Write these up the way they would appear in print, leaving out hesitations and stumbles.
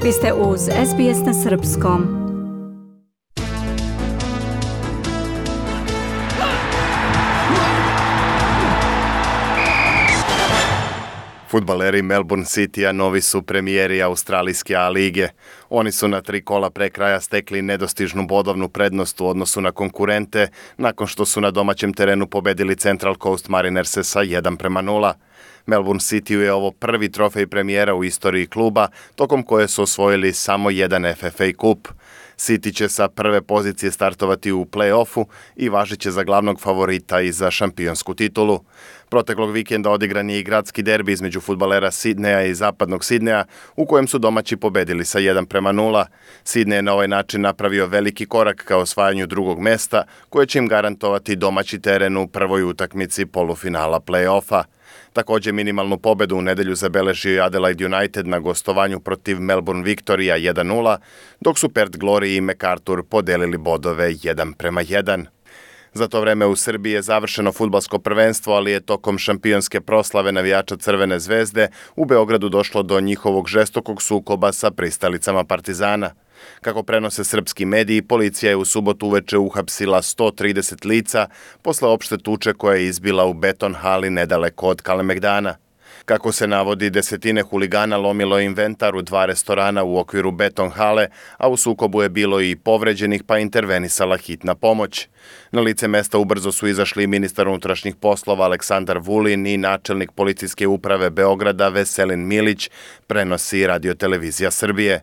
Vi ste uz SBS na Srpskom. Fudbaleri Melbourne Citya novi su premijeri australijske A lige. Oni su na 3 kola pre kraja stekli nedostižnu bodovnu prednost u odnosu na konkurente nakon što su na domaćem terenu pobedili Central Coast Marinerse sa 1:0. Melbourne Cityu je ovo prvi trofej premijera u istoriji kluba, tokom koje su osvojili samo jedan FFA kup. City će sa prve pozicije startovati u play-offu i važiće za glavnog favorita i za šampionsku titulu. Proteklog vikenda odigran je i gradski derbi između fudbalera Sidneja i zapadnog Sidneja, u kojem su domaći pobedili sa 1:0. Sidney je na ovaj način napravio veliki korak ka osvajanju drugog mesta, koje će im garantovati domaći teren u prvoj utakmici polufinala play-offa. Također minimalnu pobedu u nedelju zabeležio je Adelaide United na gostovanju protiv Melbourne Victoria 1:0, dok su Perth Glory i MacArthur podelili bodove 1:1. Za to vreme u Srbiji je završeno fudbalsko prvenstvo, ali je tokom šampionske proslave navijača Crvene zvezde u Beogradu došlo do njihovog žestokog sukoba sa pristalicama Partizana. Kako prenose srpski mediji, policija je u subotu uveče uhapsila 130 lica posle opšte tuče koja je izbila u beton hali nedaleko od Kalemegdana. Kako se navodi, desetine huligana lomilo inventar u 2 restorana u okviru beton hale, a u sukobu je bilo i povređenih pa intervenisala hitna pomoć. Na lice mesta ubrzo su izašli ministar unutrašnjih poslova Aleksandar Vulin i načelnik policijske uprave Beograda Veselin Milić, prenosi Radio-televizija Srbije.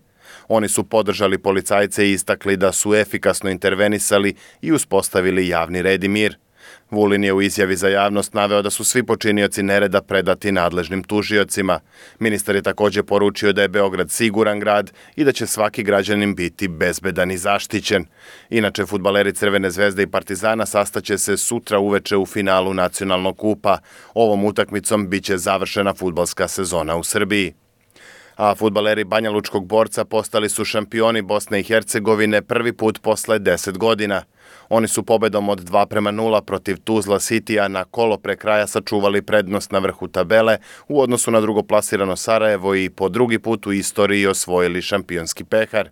Oni su podržali policajce i istakli da su efikasno intervenisali i uspostavili javni red i mir. Vulin je u izjavi za javnost naveo da su svi počinioci nereda predati nadležnim tužiocima. Ministar je također poručio da je Beograd siguran grad i da će svaki građanin biti bezbedan i zaštićen. Inače, fudbaleri Crvene zvezde i Partizana sastaće se sutra uveče u finalu nacionalnog kupa. Ovom utakmicom biće završena fudbalska sezona u Srbiji. A fudbaleri Banjalučkog Borca postali su šampioni Bosne i Hercegovine prvi put posle 10 godina. Oni su pobedom od 2:0 protiv Tuzla Citya na kolo pre kraja sačuvali prednost na vrhu tabele u odnosu na drugoplasirano Sarajevo i po drugi put u istoriji osvojili šampionski pehar.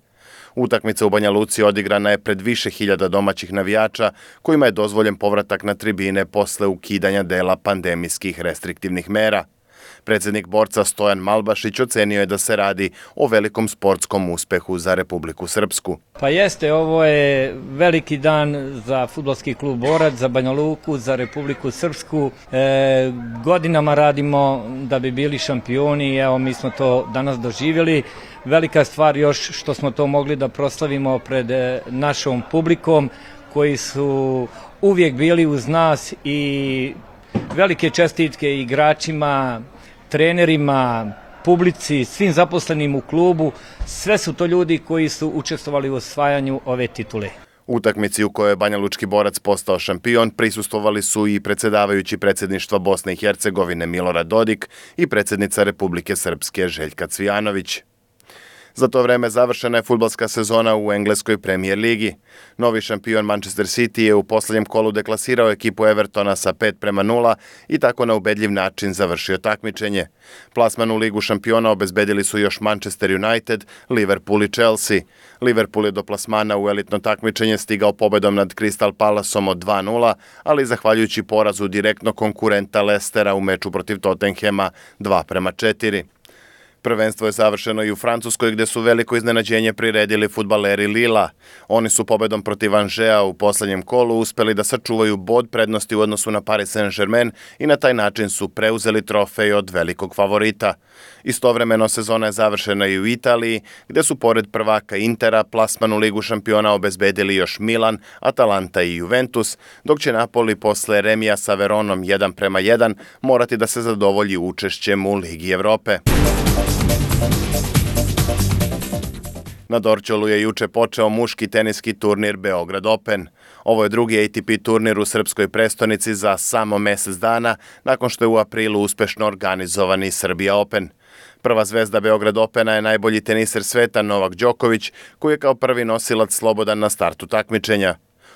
Utakmica u Banja Luci odigrana je pred više hiljada domaćih navijača kojima je dozvoljen povratak na tribine posle ukidanja dela pandemijskih restriktivnih mera. Predsjednik Borca Stojan Malbašić ocenio je da se radi o velikom sportskom uspehu za Republiku Srpsku. Pa jeste, ovo je veliki dan za fudbalski klub Borac, za Banja Luku, za Republiku Srpsku. Godinama radimo da bi bili šampioni i evo mi smo to danas doživjeli. Velika stvar još što smo to mogli da proslavimo pred našom publikom koji su uvijek bili uz nas i velike čestitke igračima, trenerima, publici, svim zaposlenim u klubu. Sve su to ljudi koji su učestvovali u osvajanju ove titule. U utakmici u kojoj je Banjalučki Borac postao šampion prisustvovali su i predsjedavajući predsjedništva Bosne i Hercegovine Milorad Dodik i predsjednica Republike Srpske Željka Cvijanović. Za to vreme završena je fudbalska sezona u engleskoj Premier ligi. Novi šampion Manchester City je u posljednjem kolu deklasirao ekipu Evertona sa 5:0 i tako na ubedljiv način završio takmičenje. Plasman u ligu šampiona obezbedili su još Manchester United, Liverpool i Chelsea. Liverpool je do plasmana u elitno takmičenje stigao pobedom nad Crystal Palaceom od 2:0, ali zahvaljujući porazu direktno konkurenta Leicestera u meču protiv Tottenhama 2:4. Prvenstvo je završeno i u Francuskoj gdje su veliko iznenađenje priredili fudbaleri Lila. Oni su pobedom protiv Angea u posljednjem kolu uspjeli da sačuvaju bod prednosti u odnosu na Paris Saint-Germain i na taj način su preuzeli trofej od velikog favorita. Istovremeno sezona je završena i u Italiji gdje su pored prvaka Intera plasman u ligu šampiona obezbedili još Milan, Atalanta i Juventus, dok će Napoli posle remija sa Veronom 1:1 morati da se zadovolji učešćem u Ligi Evrope. Na Dorćolu je juče počeo muški teniski turnir Beograd Open. Ovo je drugi ATP turnir u srpskoj prestonici za samo mjesec dana, nakon što je u aprilu uspešno organizovani Srbija Open. Prva zvezda Beograd Opena je najbolji teniser sveta Novak Đoković, koji je kao prvi nosilac slobodan na startu takmičenja.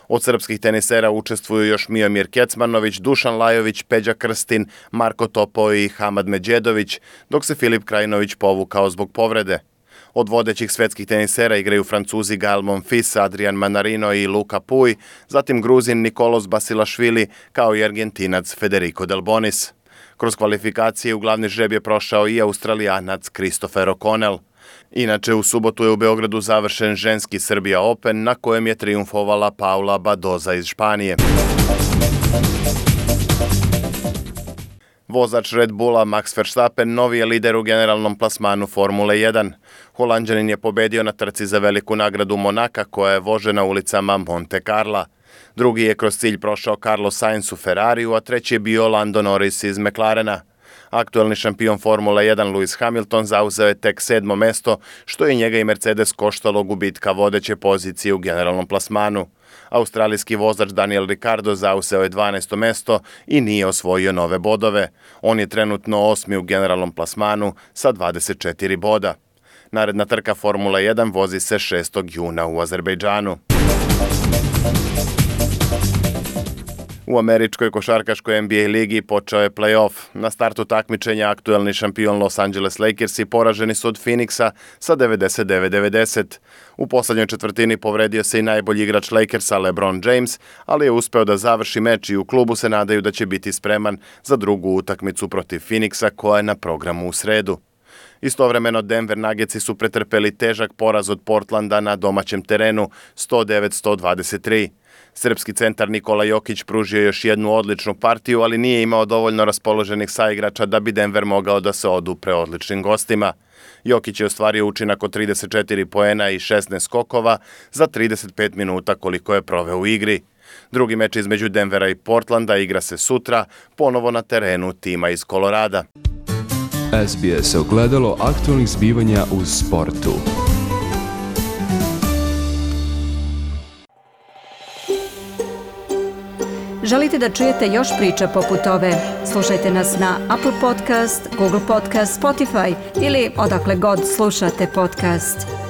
Od srpskih tenisera učestvuju još Miomir Kecmanović, Dušan Lajović, Peđa Krstin, Marko Topo i Hamad Međedović, dok se Filip Krajinović povukao zbog povrede. Od vodećih svetskih tenisera igraju Francuzi Gael Monfils, Adrian Manarino i Luka Pouille, zatim Gruzin Nikolos Basilašvili kao i Argentinac Federico Delbonis. Kroz kvalifikacije u glavni žreb je prošao i Australijanac Christopher O'Connell. Inače, u subotu je u Beogradu završen ženski Serbia Open na kojem je trijumfovala Paula Badoza iz Španije. Vozač Red Bulla Max Verstappen novi je lider u generalnom plasmanu Formule 1. Holanđanin je pobedio na trci za veliku nagradu Monaka koja je vožena ulicama Monte Carla. Drugi je kroz cilj prošao Carlos Sainz u Ferrariju, a treći je bio Lando Norris iz McLarena. Aktuelni šampion Formule 1 Lewis Hamilton zauzeo je tek 7. mesto, što je njega i Mercedes koštalo gubitka vodeće pozicije u generalnom plasmanu. Australijski vozač Daniel Ricciardo zauzeo je 12. mesto i nije osvojio nove bodove. On je trenutno 8. u generalnom plasmanu sa 24 boda. Naredna trka Formula 1 vozi se 6. juna u Azerbejdžanu. U američkoj košarkaškoj NBA ligi počeo je play-off. Na startu takmičenja aktuelni šampion Los Angeles Lakersi poraženi su od Phoenixa sa 99-90. U poslednjoj četvrtini povredio se i najbolji igrač Lakersa LeBron James, ali je uspeo da završi meč i u klubu se nadaju da će biti spreman za drugu utakmicu protiv Phoenixa koja je na programu u sredu. Istovremeno Denver Nuggetsi su pretrpeli težak poraz od Portlanda na domaćem terenu 109-123. Srpski centar Nikola Jokić pružio još jednu odličnu partiju, ali nije imao dovoljno raspoloženih saigrača da bi Denver mogao da se odupre odličnim gostima. Jokić je ostvario učinak od 34 poena i 16 skokova za 35 minuta koliko je proveo u igri. Drugi meč između Denvera i Portlanda igra se sutra, ponovo na terenu tima iz Kolorada. SBS ogledalo aktualnih zbivanja u sportu. Želite da čujete još priča poput ove? Slušajte nas na Apple Podcast, Google Podcast, Spotify ili odakle god slušate podcast.